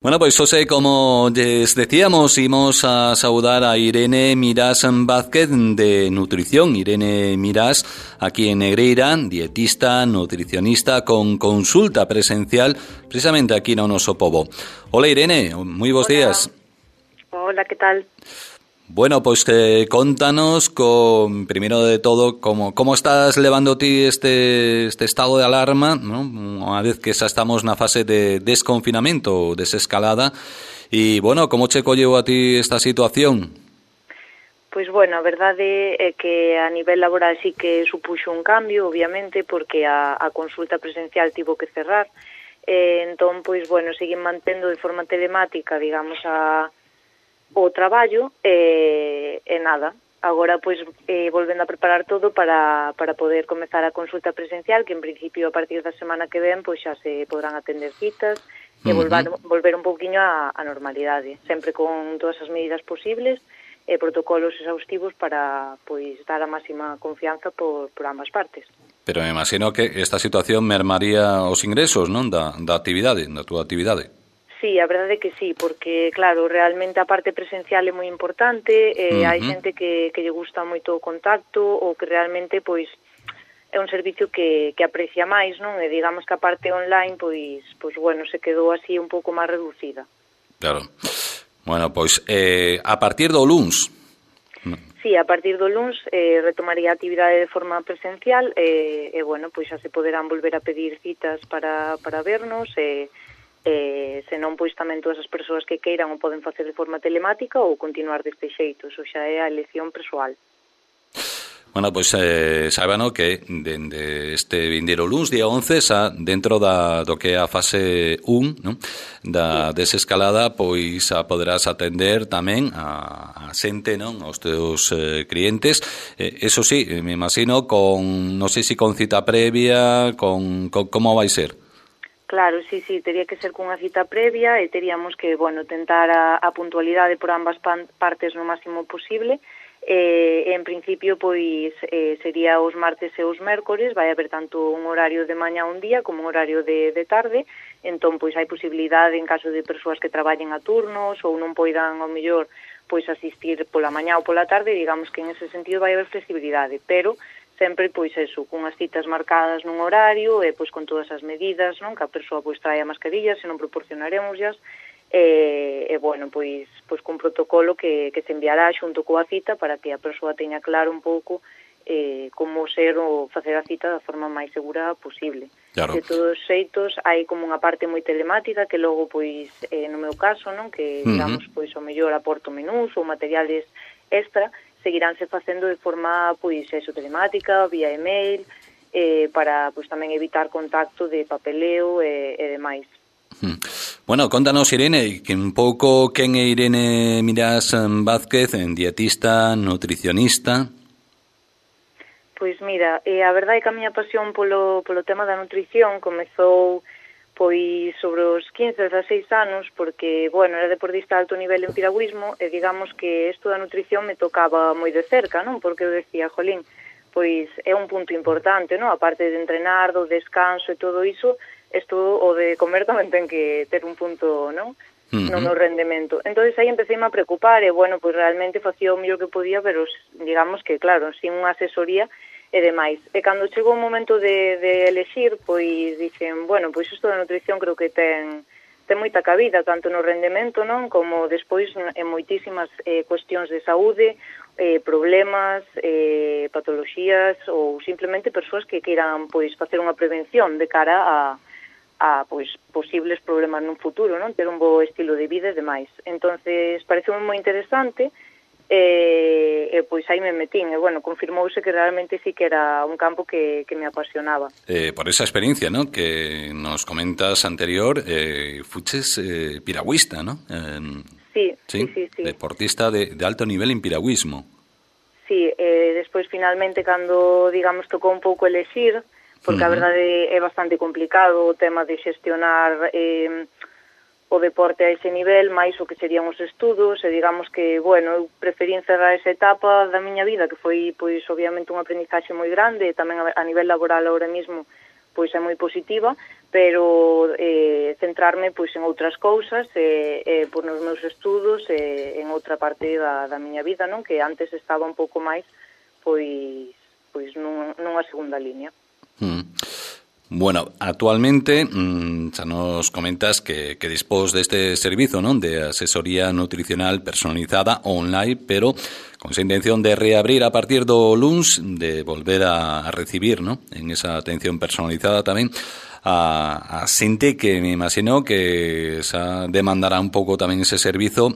Bueno, pues José, como les decíamos, íbamos a saludar a Irene Mirás Vázquez de Nutrición. Irene Mirás, aquí en Negreira, dietista, nutricionista, con consulta presencial, precisamente aquí en Onosopovo. Hola Irene, muy buenos días. Hola, ¿qué tal? Bueno, pues contanos, primero de todo, cómo estás levando ti este estado de alarma, ¿no? Una vez que xa estamos na fase de desconfinamento, desescalada, e, bueno, como che colleu a ti esta situación? Pois, bueno, a verdade é que a nivel laboral sí que supuxo un cambio, obviamente, porque a consulta presencial tivo que cerrar, entón, pois, bueno, seguín mantendo de forma telemática, digamos, o traballo e nada. Agora, pois, volvendo a preparar todo para poder comezar a consulta presencial, que en principio a partir da semana que ven, pois xa se podrán atender citas e volver un pouquiño á normalidade, sempre con todas as medidas posibles e protocolos exhaustivos para, pois, dar a máxima confianza por ambas partes. Pero me imagino que esta situación mermaría os ingresos, non, da actividade, da túa actividade. Sí, a verdade é que sí, porque, claro, realmente a parte presencial é moi importante, hai xente que lle gusta moito o contacto ou que realmente, pois, é un servicio que aprecia máis, non? E digamos que a parte online, pois, bueno, se quedou así un pouco máis reducida. Claro. Bueno, pois, a partir do luns... Sí, a partir do luns retomaría a actividade de forma presencial e, bueno, pois xa se poderán volver a pedir citas para vernos senón, pois, tamén todas as persoas que queiran o poden facer de forma telemática ou continuar deste xeito, iso xa é a elección persoal. Bueno, pois saibano que dende este vindeiro luns, día 11, xa dentro do que é a fase 1, non? Da desescalada, pois a poderás atender tamén a xente, non? Aos teus clientes. Eso sí, me imagino non sei se con cita previa, como vai ser? Claro, sí, tería que ser cunha cita previa e teríamos que, bueno, tentar a puntualidade por ambas partes no máximo posible. En principio, pois, sería os martes e os mércores, vai haber tanto un horario de mañá un día como un horario de tarde, entón, pois, hai posibilidade en caso de persoas que traballen a turnos ou non poidan, ao mellor, pois, asistir pola mañá ou pola tarde, digamos que en ese sentido vai haber flexibilidade, pero sempre, pois, eso, cunhas citas marcadas nun horario e, pois, con todas as medidas, non? Que a persoa, pois, trae a mascarilla, se non proporcionaremoslas, e bueno, pois cun protocolo que se enviará xunto coa cita para que a persoa teña claro un pouco como ser ou facer a cita da forma máis segura posible. Claro. De todos os xeitos, hai como unha parte moi telemática que logo, pois, no meu caso, non? Que, digamos, pois, o mellor aporto menús ou materiales extra, seguiránse facendo de forma, pois, eso, telemática, vía email, para, pois, tamén evitar contacto de papeleo e demais. Bueno, contanos, Irene, que un pouco quen é Irene Mirás Vázquez, dietista, nutricionista? Pois mira, a verdade é que a miña pasión polo tema da nutrición comezou pois sobre os 15, 16 anos, porque, bueno, era deportista de alto nivel en piragüismo e digamos que isto da nutrición me tocaba moi de cerca, non? Porque eu decía, jolín, pois é un punto importante, non? A parte de entrenar, do descanso e todo iso, isto o de comer tamén ten que ter un punto, non? No meu rendemento. Entón, aí empecéme a preocupar e, bueno, pois realmente facía o mellor que podía, pero digamos que, claro, sin unha asesoría e demais. E cando chegou o momento de elexir, pois dixen, bueno, pois isto da nutrición creo que ten moita cabida, tanto no rendemento, non, como despois en moitísimas cuestións de saúde, problemas, patoloxías ou simplemente persoas que queiran, pois, facer unha prevención de cara a pois, posibles problemas nun futuro, non, ter un bo estilo de vida e demais. Entonces, pareceu moi interesante pois aí me metín, e, bueno, confirmouse que realmente sí que era un campo que me apasionaba. Por esa experiencia, ¿no?, que nos comentas anterior, fuches piragüista, ¿no? Sí. Deportista de alto nivel en piragüismo. Sí, despois finalmente cando, digamos, tocou un pouco elexir, porque a verdade é bastante complicado o tema de xestionar o deporte a ese nivel, máis o que serían os estudos, e digamos que, bueno, eu preferí encerrar esa etapa da miña vida, que foi, pois, obviamente unha aprendizaxe moi grande, e tamén a nivel laboral ahora mismo, pois é moi positiva, pero centrarme pois en outras cousas, pois nos meus estudos, en outra parte da miña vida, non? Que antes estaba un pouco máis pois nunha segunda línea. Bueno, actualmente xa nos comentas que dispós deste servizo, non, de asesoría nutricional personalizada online, pero con esa intención de reabrir a partir do luns, de volver a recibir, non, en esa atención personalizada tamén a xente que me imagino que xa demandará un pouco tamén ese servizo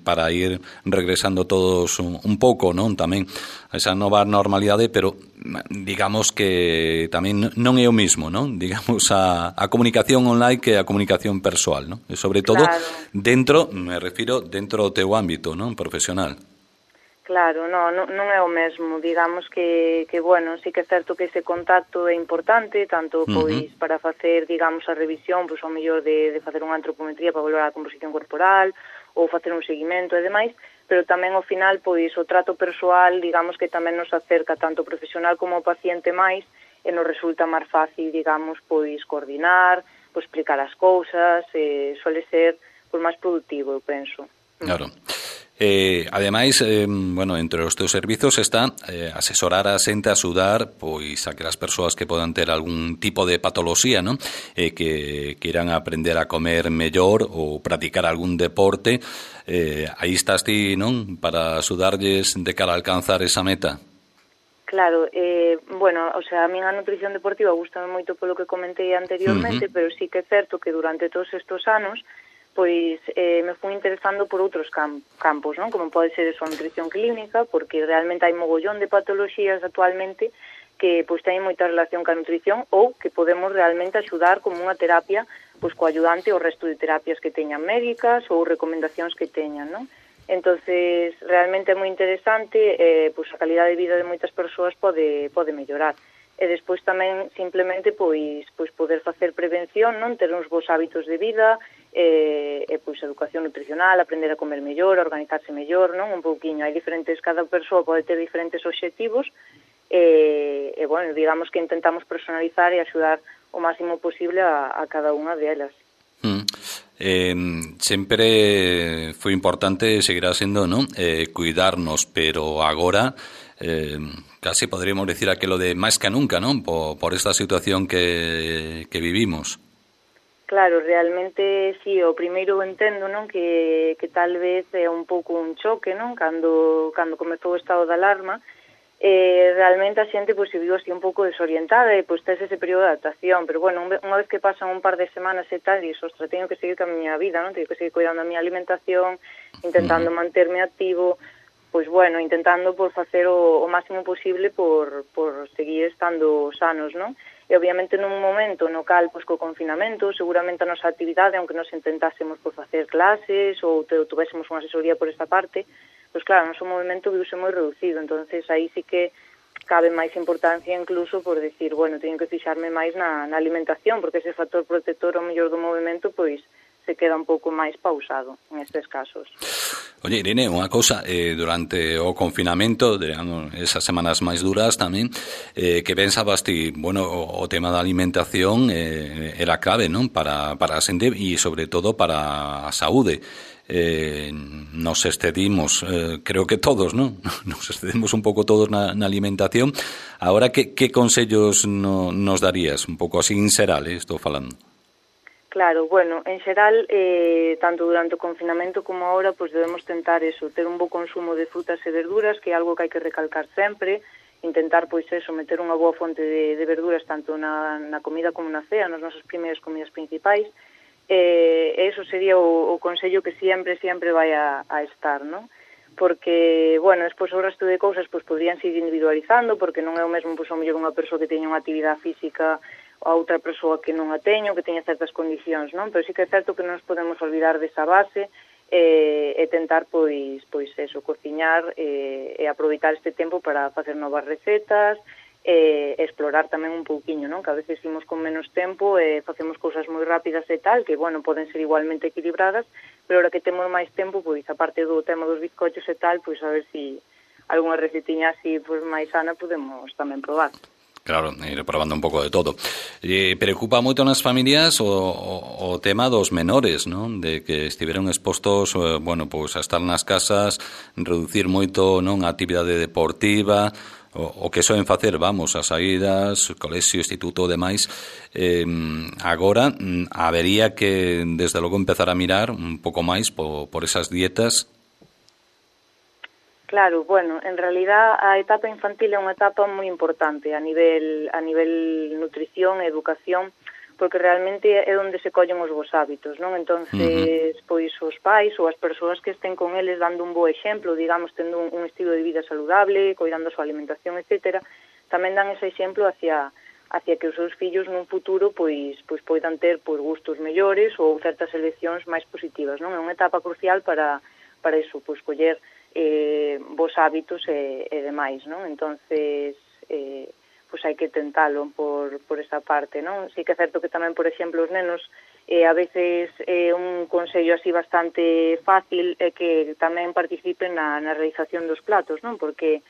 para ir regresando todos un pouco, non, tamén a esa nova normalidade, pero digamos que tamén non é o mismo, non? Digamos a comunicación online que a comunicación persoal, non? E sobre todo dentro, me refiro dentro do teu ámbito, non, profesional. Claro, non é o mesmo, digamos que bueno, sí que é certo que ese contacto é importante, tanto pois para facer, digamos, a revisión, pois ao mellor de facer unha antropometría para valorar a composición corporal, ou facer un seguimento e demais, pero tamén ao final, pois, o trato persoal, digamos que tamén nos acerca tanto o profesional como o paciente máis, e nos resulta máis fácil, digamos, pois, coordinar, pois, explicar as cousas, suele ser, pois, máis productivo, eu penso. Claro. Ademais, bueno, entre os teus servizos está asesorar a xente, axudar pois aquelas persoas que podan ter algún tipo de patoloxía, non? Que queiran aprender a comer mellor ou practicar algún deporte, aí estás ti, non? Para axudarlles de cara a alcanzar esa meta. Claro, bueno, o sea, a minha nutrición deportiva gustame moito polo que comentei anteriormente, pero sí que é certo que durante todos estes anos pois me fui interesando por outros campos, non? Como pode ser a nutrición clínica, porque realmente hai mogollón de patoloxías actualmente que pois teñen moita relación ca nutrición ou que podemos realmente axudar como unha terapia pois coayudante ao resto de terapias que teñan médicas ou recomendacións que teñan, non? Entonces, realmente é moi interesante, pois a calidade de vida de moitas persoas pode mellorar. E despois tamén simplemente pois poder facer prevención, non, ter uns bons hábitos de vida, e pois educación nutricional, aprender a comer mellor, a organizarse mellor, non, un pouquiño. Hai diferentes, cada persoa pode ter diferentes obxectivos e bueno, digamos que intentamos personalizar e axudar o máximo posible a cada unha delas. Sempre foi importante, seguirá sendo, non, cuidarnos, pero agora casi podríamos decir aquilo de máis que nunca, non? Por esta situación que vivimos. Claro, realmente, sí, o primeiro entendo, non, que tal vez é un pouco un choque, non, cando comezou o estado de alarma, realmente a xente pois se viu así un pouco desorientada e pois tes ese período de adaptación, pero bueno, unha vez que pasan un par de semanas e tal, e ostras, teño que seguir ca miña vida, non, teño que seguir cuidando a miña alimentación, intentando manterme activo, pois bueno, intentando por facer o máximo posible por seguir estando sanos, non? E obviamente nun momento no cal, pois co confinamento, seguramente a nosa actividade, aunque nos intentásemos por facer clases ou tuvésemos unha asesoría por esta parte, pois claro, o noso movimento viuse moi reducido, entonces aí sí que cabe máis importancia incluso por decir, bueno, teño que fixarme máis na alimentación, porque ese factor protector ao mellor do movimento, pois se queda un pouco máis pausado en estes casos. Oye, Irene, unha cousa, durante o confinamento, esas semanas máis duras tamén, que pensabas ti, bueno, o tema da alimentación era clave, non? Para a xente e, sobre todo, para a saúde. Nos excedimos, creo que todos, non? Nos excedimos un pouco todos na alimentación. Ahora, que consellos nos darías? Un pouco así en xeral, estou falando. Claro, bueno, en xeral, tanto durante o confinamento como agora, pois debemos tentar eso, ter un bo consumo de frutas e verduras, que é algo que hai que recalcar sempre, intentar, pois eso, meter unha boa fonte de verduras tanto na comida como na cea, nas nosas primeiras comidas principais, e eso sería o consello que sempre vai a estar, non? Porque, bueno, despois o resto de cousas pois podrían ir individualizando, porque non é o mesmo, pois, ao mellor unha persoa que teña unha actividade física a outra persoa que non a teño, que teña certas condicións, non? Pero sí que é certo que non nos podemos olvidar desa base e tentar, pois eso, cociñar e aproveitar este tempo para facer novas recetas e explorar tamén un pouquiño, non? Que a veces imos con menos tempo e facemos cousas moi rápidas e tal, que, bueno, poden ser igualmente equilibradas, pero ahora que temos máis tempo, pois, aparte do tema dos bizcochos e tal, pois a ver si algunha recetiña así, pois, máis sana podemos tamén probar. Claro, ir probando un pouco de todo. Preocupa moito nas familias o tema dos menores, non? De que estiveron expostos, bueno, pois a estar nas casas, reducir moito, non, a actividade deportiva, o que soen facer, vamos, as saídas, colexio, instituto, demais. Agora habería que, desde logo, empezar a mirar un pouco máis por esas dietas. Claro, bueno, en realidad a etapa infantil é unha etapa moi importante a nivel nutrición e educación, porque realmente é onde se collen os bons hábitos, non? Entonces, pois os pais ou as persoas que estén con eles dando un bo exemplo, digamos, tendo un estilo de vida saludable, cuidando a súa alimentación, etcétera, tamén dan ese exemplo hacia que os seus fillos nun futuro pois poidan ter pois gustos mellores ou certas eleccións máis positivas, non? É unha etapa crucial para iso, pois coller vos hábitos e demais, non? Entonces, pois hai que tentalo por esa parte, non? Sí que é certo que tamén, por exemplo, os nenos a veces un consello así bastante fácil é que tamén participen na realización dos platos, non? Porque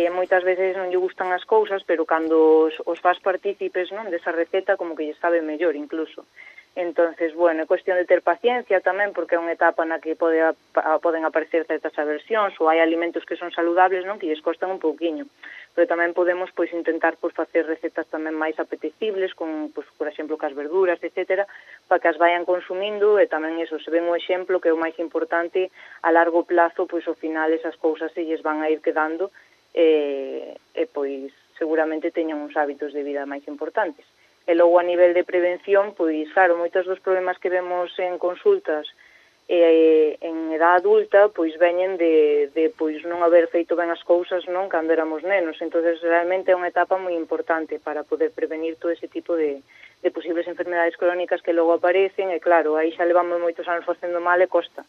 moitas veces non lle gustan as cousas, pero cando os faz partícipes, non, desa receta, como que lle sabe mellor incluso. Entonces, bueno, é cuestión de ter paciencia tamén, porque é unha etapa na que poden aparecer certas aversións ou hai alimentos que son saludables, non, que lles costan un pouquiño. Pero tamén podemos pois intentar pois facer recetas tamén máis apetecibles con, pois, por exemplo, cas verduras, etcétera, para que as vayan consumindo e tamén eso, se ven o exemplo que é o máis importante a largo plazo, pois ao final esas cousas se lles van a ir quedando e pois seguramente teñan uns hábitos de vida máis importantes. E logo a nivel de prevención, pois claro, moitos dos problemas que vemos en consultas en edad adulta, pois veñen de pois non haber feito ben as cousas, non, cando éramos nenos. Entonces realmente é unha etapa moi importante para poder prevenir todo ese tipo de posibles enfermedades crónicas que logo aparecen, e claro, aí xa levamos moitos anos facendo mal e costa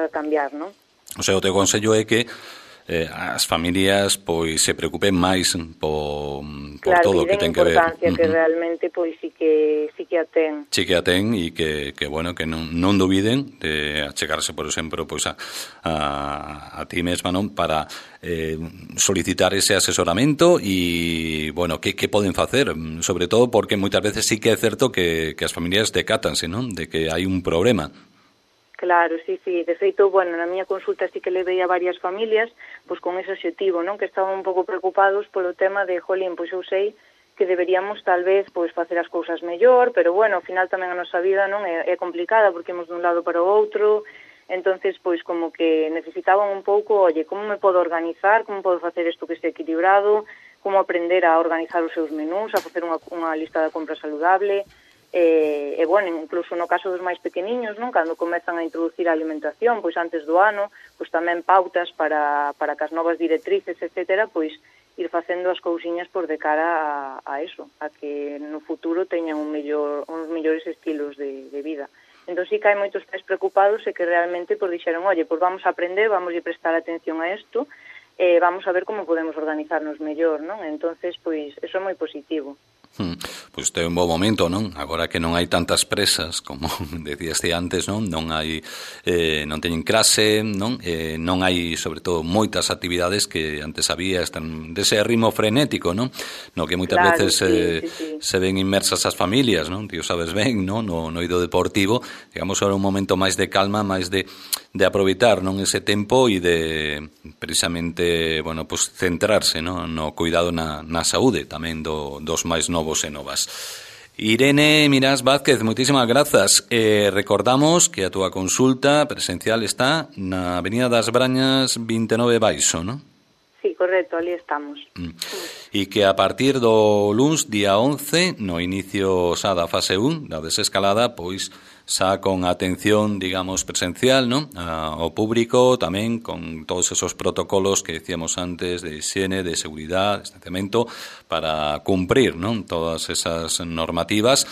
cambiar, non? O sea, o teu consello é que as familias pois se preocupen máis por todo o que ten que ver. Claro, que realmente pois sí que a ten. Sí que a ten e que bueno, que non dubiden de achegarse, por exemplo, pois a ti mesma, non, para solicitar ese asesoramento e, bueno, que poden facer, sobre todo porque moitas veces sí que é certo que as familias decátanse, non, de que hai un problema. Claro, sí. De feito, bueno, na miña consulta sí que levei a varias familias pois con ese obxectivo, non? Que estaban un pouco preocupados polo tema de, jolín, pois eu sei que deberíamos tal vez pois facer as cousas mellor, pero bueno, ao final tamén a nosa vida non é complicada porque imos dun lado para o outro, entonces pois como que necesitaban un pouco, oye, como me podo organizar, como podo facer isto que este equilibrado, como aprender a organizar os seus menús, a facer unha lista de compra saludable. E bueno, incluso no caso dos máis pequeniños, non, cando comezan a introducir a alimentación, pois antes do ano, pois tamén pautas para que as novas directrices, etcétera, pois ir facendo as cousiñas por de cara a eso, a que no futuro teñan uns mellores estilos de vida. Entón sí que hai moitos pais preocupados e que realmente pois dixeron, oye, pois vamos a aprender, vamos a prestar atención a isto, e vamos a ver como podemos organizarnos mellor, non? Entonces, pois, eso é moi positivo. Pois é un bo momento, non? Agora que non hai tantas presas, como decíaste antes, non? Non teñen clase, non? Non hai, sobre todo, moitas actividades que antes había, están dese ritmo frenético, non? No que moitas veces sí. Se ven inmersas as familias, non? Ti o sabes ben, non? No eido deportivo, digamos, ahora un momento máis de calma, máis de aproveitar, non, ese tempo e de precisamente, bueno, pues centrarse, non, no cuidado na saúde tamén dos máis novos e novas. Irene Mirás Vázquez, moitísimas grazas. Recordamos que a túa consulta presencial está na Avenida das Brañas 29 Baixo, non? Sí, correcto, ali estamos. E que a partir do luns, día 11, no inicio xa da fase 1, da desescalada, pois xa con atención, digamos, presencial, non? Ao público, tamén con todos esos protocolos que decíamos antes de higiene, de seguridade, de distanciamento, para cumprir, non? Todas esas normativas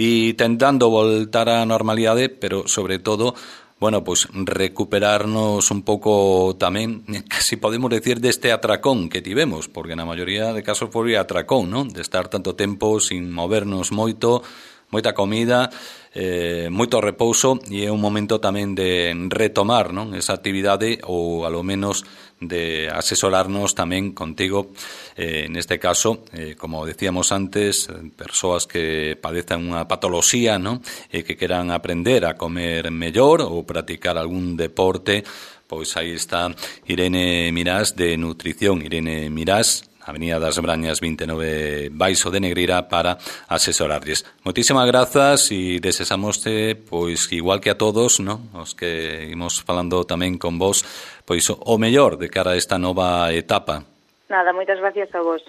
e tentando voltar á normalidade, pero sobre todo, bueno, pues recuperarnos un pouco tamén, casi podemos decir, deste atracón que tivemos, porque na maioría de casos foi atracón, non? De estar tanto tempo sin movernos moito, moita comida, moito repouso, e é un momento tamén de retomar, non, esa actividade, ou alo menos de asesorarnos tamén contigo, neste caso, como decíamos antes, persoas que padezan unha patoloxía, non, e que queran aprender a comer mellor ou practicar algún deporte, pois aí está Irene Mirás de Nutrición. Irene Mirás, Avenida das Brañas 29, Baixo de Negreira, para asesorarlles. Moitísimas grazas e desesamoste, pois igual que a todos, non, os que imos falando tamén con vos, pois o mellor de cara a esta nova etapa. Nada, moitas gracias a vos.